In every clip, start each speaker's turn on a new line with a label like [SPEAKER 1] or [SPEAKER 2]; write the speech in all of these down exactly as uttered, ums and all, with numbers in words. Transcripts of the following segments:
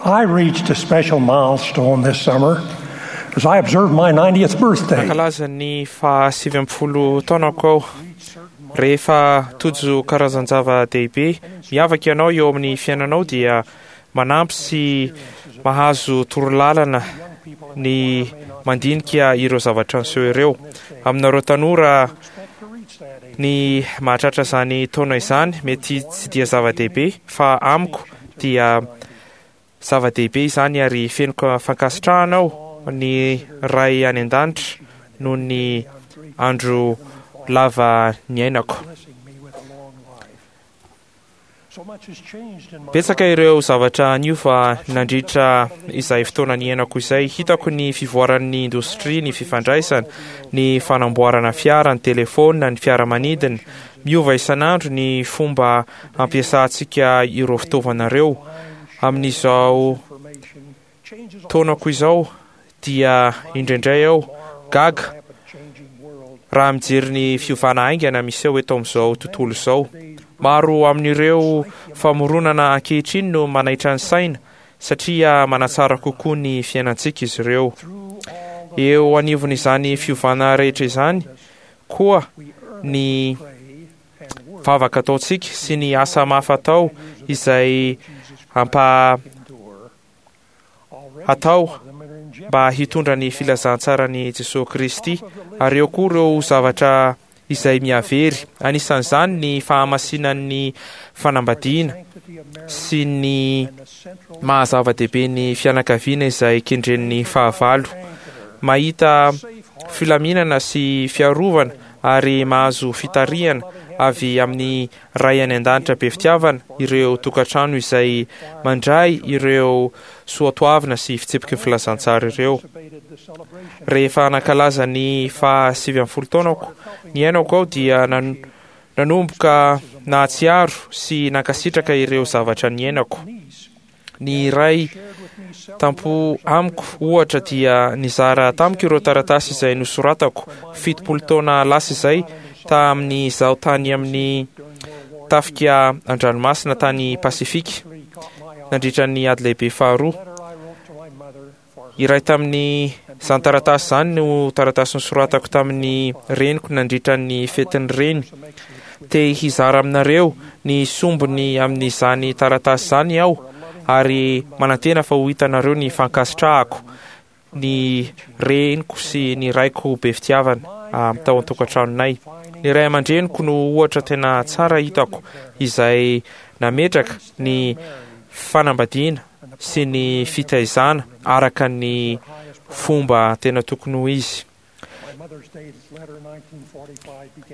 [SPEAKER 1] I reached a special milestone this summer as I observed my ninetieth birthday.
[SPEAKER 2] Nankalaza ny fahasivy ambin'ny folo taonako aho. Rehefa tojo karazan-java-dehibe miavaka ianao eo amin'ny fiainanao dia manampy sy mahazo torolalana ny mandinika ireo zavatra niseho ireo. Aminareo tanora, ny mahatratra izany taona izany mety tsy dia zava-dehibe, fa amiko dia zava-dehibe izany ary feno fankasitrahana aho ny Ray any an-danitra noho ny andro lava niainako. Betsaka ireo zavatra niova nandritra izay fotoana niainako izay. Hitako ny fivoaran'ny indostria, ny fifandraisana, ny fanamboarana fiara, ny telefaonina, ny fiaramanidina. Miova isan'andro ny fomba ampiasantsika ireo fitaovana ireo. Amin'izao taonako izao dia indraindray aho gaga raha mijery ny fiovana haingana miseho eto amin'izao tontolo izao. Maro amin'ireo famoronana ankehitriny no manaitra ny saina satria manatsara kokoa ny fiainantsika izy ireo. Eo anivon'izany fiovana rehetra izany koa ny vavaka ataontsika sy ny asa mafy atao izay ampa atao mba hitondra ny filazantsaran'i Jesoa Kristy, ary eo koa ireo zavatra izay mihavery, anisan'izany ny fahamasinan'ny fanambadiana sy ny maha zava-dehibe ny fianakaviana izay kendren'ny fahavalo. Mahita filaminana sy fiarovana ary mahazo fitarihana avy amin'ny Ray any an-danitra be fitiavana ireo tokantrano izay mandray ireo soatoavina sy fitsipiky ny filazantsara ireo. Rehefa nankalaza ny fahasivy ambin'ny folo taonako niainako aho dia nanomboka nahatsiaro sy nankasitraka ireo zavatra niainako. Ny iray tampo amiko ohatra dia nizara tamiko ireo taratasy izay nosoratako fitopolo taona lasa izay tamin'izaho tany amin'ny tafika an-dranomasina tany Pasifika nandritra ny ady lehibe faharoa. Iray tamin'izany taratasy izany no taratasy nosoratako tamin'ny reniko nandritra ny fetin'ny reny. Te hizara aminareo ny sombiny amin'izany taratasy izany aho ary manantena fa ho hitanareo ny fankasitrahako ny reniko sy ny raiko be fitiavana tao an-tokantranonay. Ny ray aman-dreniko no ohatra tena tsara hitako izay nametraka ny fanambadiana sy ny fitaizana araka ny fomba tena tokony ho izy.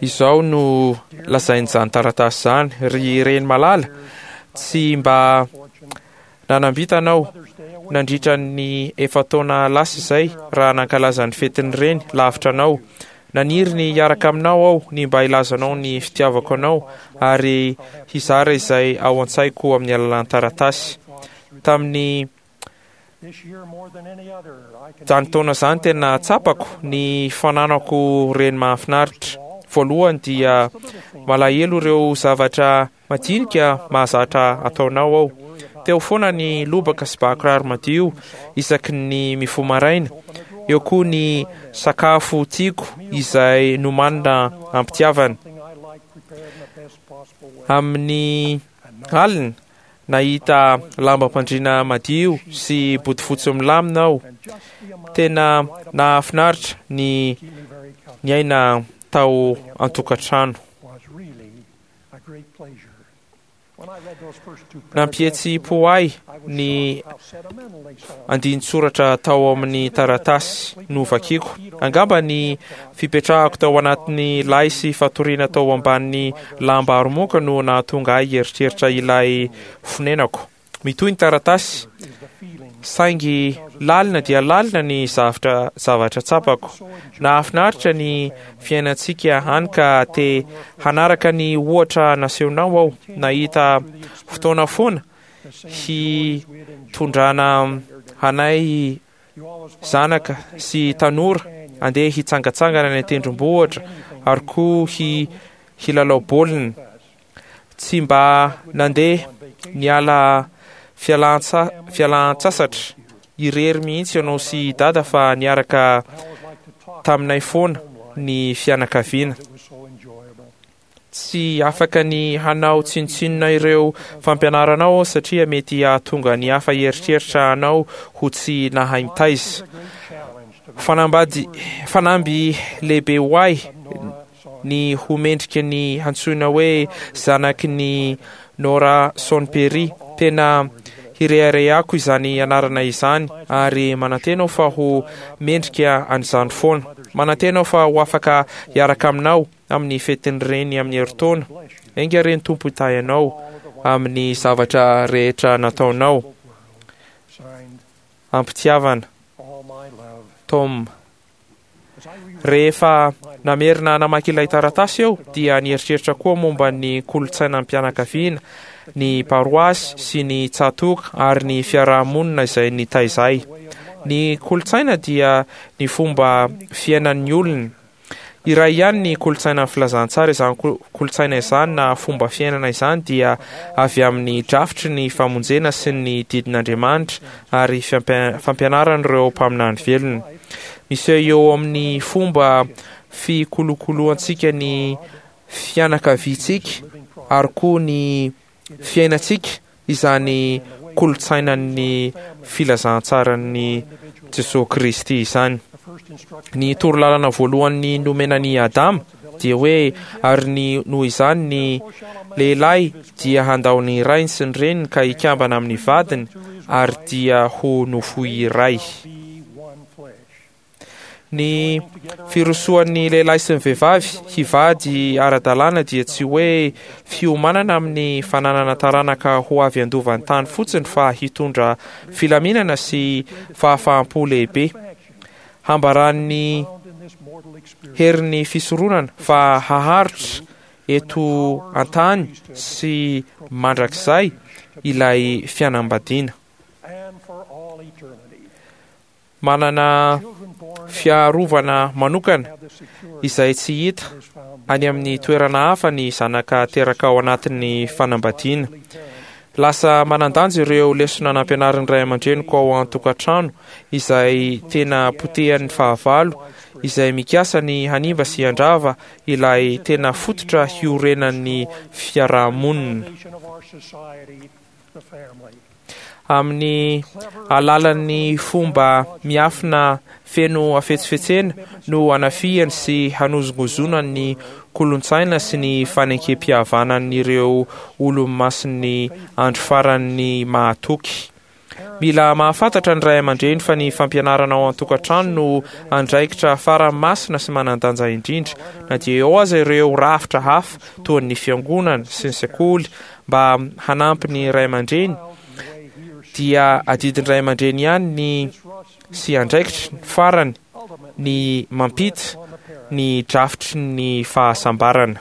[SPEAKER 2] Izao no lazain'izany taratasy izany: Ry reny malala, tsy mba nanambitana aho nandritra ny efa-taona lasa izay raha nankalaza ny fetin'ny reny lavitra anao. Naniry ny hiaraka aminao aho, ny mba hilazanao ny fitiavako anao ary hizara izay ao an-tsaiko amin'ny alalan'ny taratasy. Tamin'ny izany taona izany tena tsapako ny fananako reny mahafinaritra. Voalohany dia malahelo ireo zavatra madinika mahazatra ataonao aho. Teo foana ny lobaka sy bakiraro madio isaky ny mifoha maraina. Eo koa ny sakafo tiako izay nomanina am-pitiavana. Amin'ny alina, nahita lambam-pandriana madio sy bodofotsy milamina aho. Tena nahafinaritra ny niaina tao an-tokantrano. Nampihetsi-po ahy ny andinin-tsoratra tao amin'ny taratasy novakiko. Angamba ny fipetrahako tao anatin'ny lay sy fatoriana tao ambanin'ny lamba aromoka no nahatonga ahy hieritreritra ilay fonenako. Mitohy ny taratasy, saingy lalina dia lalina ny zavatra zavatra tsapako. Nahafinaritra ny fiainantsika hany ka te hanaraka ny ohatra nasehonao aho. Nahita fotoana foana hitondrana anay zanaka sy tanora andeha hitsangatsangana any an-tendrombohitra ary koa hi hilalao baolina. Tsy mba nandeha niala fialantsa- fialan-tsasatra irery mihitsy ianao sy dada fa niaraka taminay foana ny fianakaviana. Tsy afaka ny hanao tsinontsinona ireo fampianaranao aho satria mety hahatonga ny hafa hieritreritra anao ho tsy nahay mitaiza. Fanambady fanamby lehibe ho ahy ny ho mendrika ny hantsoina hoe zanaky ny Nora Sonpery. Tena hireharehako izany anarana izany ary manantena aho fa ho mendrika an'izany foana. Manantena aho fa ho afaka hiaraka aminao amin'ny fetin'ny reny amin'ny herintaona. Enga re ny Tompo hitahy anao amin'ny zavatra rehetra nataonao. Ampitiavana, Tom. Rehefa namerina namaky ilay taratasy aho dia nieritreritra koa momba ny kolontsainam-pianakaviana, ny paroasy sy ny tsatoka ary ny fiarahamonina izay nitaiza ahy. Ny kolontsaina dia ny fomba fiainan'ny olona. Iray ihany ny kolontsainan'ny filazantsara. Izany kolontsaina izany na fomba fiainana izany dia avy amin'ny drafitry ny famonjena sy ny didin'Andriamanitra ary fampianaran'ireo mpaminany velona. Miseho eo amin'ny fomba fikolokoloantsika ny fianakaviantsika ary koa ny fiainantsika izany kolontsainan'ny filazantsaran'ny Jesosy Kristy izany. Ny torolalana voalohany nomena ny Adama dia hoe ary ny noho izany ny lehilahy dia handao ny rainy sy ny reniny ka hikambana amin'ny vadiny ary dia ho nofo iray. Ny firosoan'ny lehilahy sy ny vehivavy hivady ara-dalàna dia tsy hoe fiomanana amin'ny fananana taranaka ho avy handova ny tany fotsiny fa hitondra filaminana sy fahafaham-po lehibe. Hambaran'ny herin'ny fisoronana fa haharitra eto an-tany sy mandrakizay ilay fianambadiana. Manana fiarovana manokana izay tsy hita any amin'ny toerana hafa ny zanaka teraka ao anatin'ny fanambadiana. Lasa manan-danja ireo lesona nampianarin'ny ray aman-dreniko ao an-tokantrano izay tena potehan'ny fahavalo izay mikasa ny hanimba sy handrava ilay tena fototra hiorenan'ny fiarahamonina. Amin'ny alalan'ny fomba miafina feno hafetsifetsena no hanafihany sy hanozongozonany ny kolontsaina sy ny fanekempihavanan'ireo olo-masin'ny andro faran'ny mahatoky. Mila mahafantatra ny ray aman-dreny fa ny fampianarana ao an-tokantrano no andraikitra farany masina sy manan-danja indrindra, na dia eo aza ireo rafitra hafa toa ny fiangonana sy ny sekoly mba hanampy ny ray aman-dreny. Dia adidin'ny ray aman-dreny ihany ny sy andraikitra farany ny mampita ny drafitry ny fahasambarana.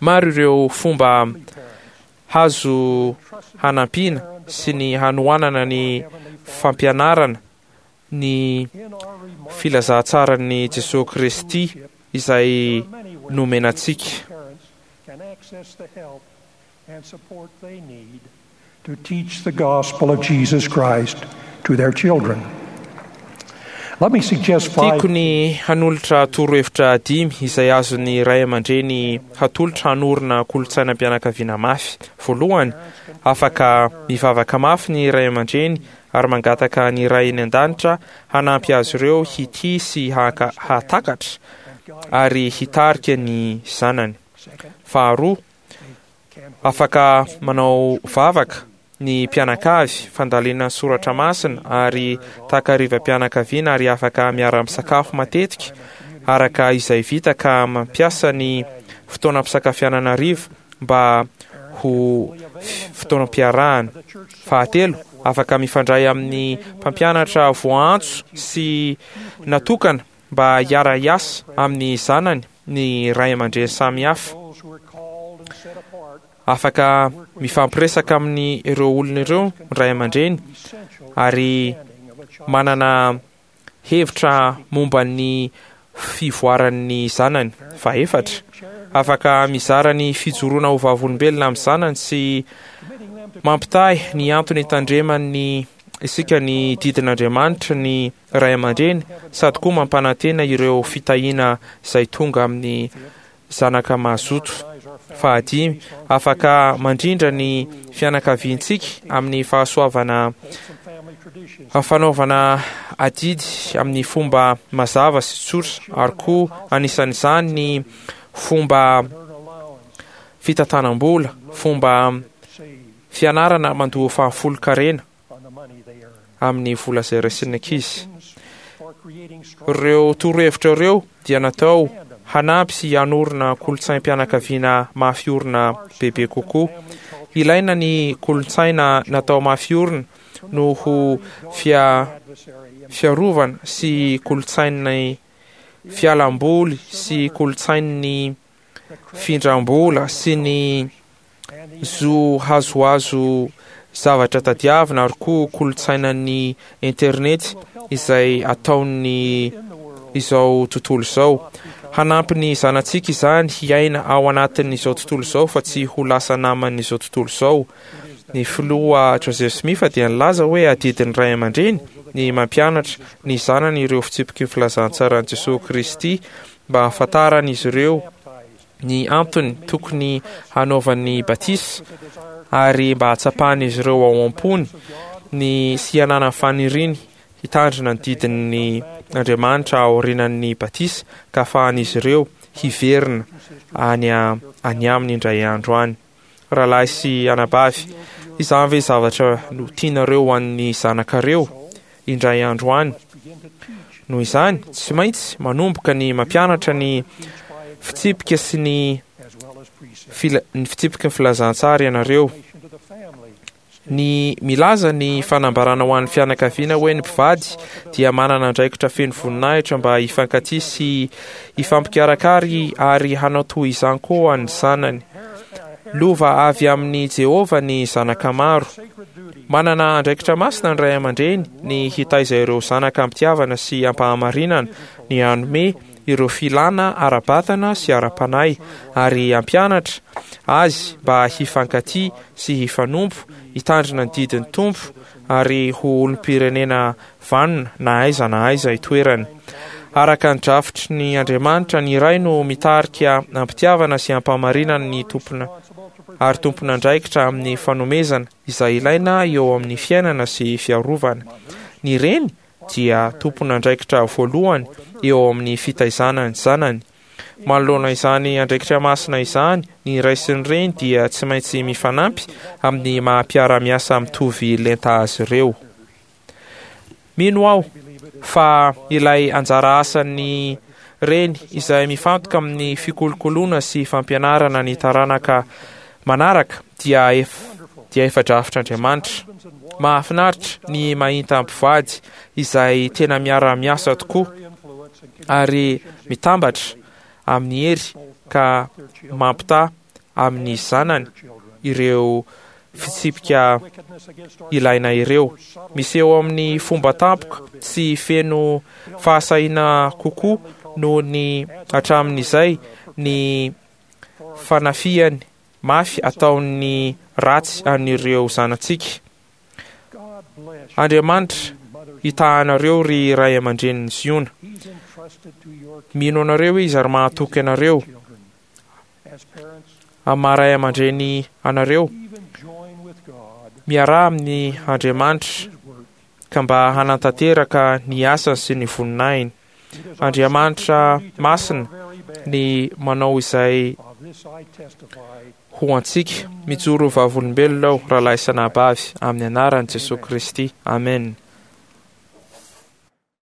[SPEAKER 2] Maro ireo fomba hazo hanampiana sy ny hanohanana ny fampianarana ny filazantsaran'i Jesosy Kristy izay nomena antsika.
[SPEAKER 1] To teach the gospel of Jesus Christ to their children. Let me suggest five
[SPEAKER 2] Tiako ny hanolotra torohevitra dimy izay azon'ny ray aman-dreny hatolotra hanorina kolontsainam-pianakaviana mafy. Voalohany, afaka mivavaka mafy ny ray aman-dreny ary mangataka ny Ray any an-danitra hanampy azy ireo hitia sy haka hahatakatra ary hitarika ny zanany. Faharoa, afaka manao vavaka ny mpianakavy, fandalinana soratra masina ary takarivam-pianakaviana ary afaka miara-misakafo matetika araka izay vita ka mampiasa ny fotoanam-pisakafianana hariva mba ho fotoanam-piarahana. Fahatelo, afaka mifandray amin'ny mpampianatra voaantso sy natokana mba hiara-hiasa amin'ny zanany ny ray aman-dreny samihafa. Afaka mifampiresaka amin'ny ireo olona ireo ny ray aman-dreny ary manana hevitra momba ny fivoaran'ny zanany. Fahefatra, afaka mizara ny fijoroana ho vavolombelona amin'ny zanany sy Mampitahy ny antony hitandreman'ny isika ny didin'Andriamanitra ny ray aman-dreny, sady koa mampanantena ireo fitahiana izay tonga amin'ny zanaka mazoto. Fahadimy, afaka mandrindra ny fianakaviantsika amin'ny fahasoavana fanaovana adidy amin'ny fomba mazava sy tsotra, ary koa anisan'izany ny fomba fitantanam-bola, fomba fianarana mandoa fahafolonkarena amin'ny vola izay raisin'ny ankizy. Ireo torohevitra ireo dia natao hanampy sy hanorina kolontsaim-pianakaviana mafy orina bebe kokoa. Ilaina ny kolontsaina natao mafy orina noho fia fiarovana sy kolontsain'ny fialamboly sy kolontsain'ny findram-bola sy ny zo hazohazo zavatra tadiavina, ary koa kolontsainan'ny internet izay ataon'ny izao tontolo izao. Hanampy ny zanatsika izany hiaina ao anatin'izao tontolo izao fa tsy ho lasa naman'izao tontolo izao. Ny filoha Joseph Smith dia nilaza hoe adidin'ny ray aman-dreny ny mampianatra ny zanany ireo fitsipiky ny filazantsaran'i Jesoa Kristy mba hahafantaran'izy ireo ny antony tokony hanaovany batisa, ary mba hahatsapan'izy ireo ao am-pony ny sy hananany faniriany hitandrina ny didin'ny Andriamanitra aorianan'ny batisa, ka ahafahan'izy ireo hiverina any any aminy indray andro any. Rahalahy sy anabavy, izany ve zavatra no tianareo ho an'ny zanakareo indray andro any? Noho izany, tsy maintsy manomboka ny mampianatra ny fitsipika sy ny fila, ny fitsipiky ny filazantsara ianareo. Ny milaza ny fanambarana ho an'ny fianakaviana hoe ny mpivady dia manana andraikitra feno voninahitra mba hifankatia sy hifampikarakara ary hanao toy izany koa ny zanany. Lova avy amin'i Jehovah ny zanaka maro. Manana andraikitra masina ny ray aman-dreny ny hitaiza ireo zanaka am-pitiavana sy am-pahamarinana, ny hanome ireo filana ara-batana sy ara-panahy, ary hampianatra azy mba hifankatia sy hifanompo, hitandrina ny didin'ny Tompo, ary ho olom-pirenena vanona na aiza na aiza itoerany. Araka ny drafitry ny Andriamanitra, ny ray no mitarika am-pitiavana sy am-pahamarinana ny tompona ary tompon'andraikitra amin'ny fanomezana izay ilaina eo amin'ny fiainana sy fiarovana. Ny reny dia tompon'andraikitra voalohany eo amin'ny fitaizana ny zanany. Manoloana izany andraikitra masina izany, ny ray sy ny reny dia tsy maintsy mifanampy amin'ny maha-mpiara-miasa mitovy lenta azy ireo. Mino aho fa ilay anjara asan'ny reny izay mifantoka amin'ny fikolokoloana sy fampianarana ny taranaka manaraka dia ef, dia efa drafitr'Andriamanitra. Mahafinaritra ny mahita mpivady izay tena miara-miasa tokoa ary mitambatra amin'ny hery ka mampitaha amin'ny zanany ireo fitsipika ilaina ireo. Miseho amin'ny fomba tampoka sy feno fahasahiana kokoa noho ny hatramin'izay ny fanafihany mafy ataon'ny ratsy an'ireo zanatsika. Andriamanitra hitahanareo ry ray aman-drenin'ny Ziona. Mino anareo izy ary mahatoky anareo. Amin'ny maha ray aman-dreny anareo, miaraha amin'ny Andriamanitra ka mba hanatanteraka ny asany sy ny voninahiny. Andriamanitra masina ny manao izay ho antsika. Mijoro vavolombelona aho, rahalahy sy anabavy, amin'ny anaran'i Jesoa Kristy. Amen.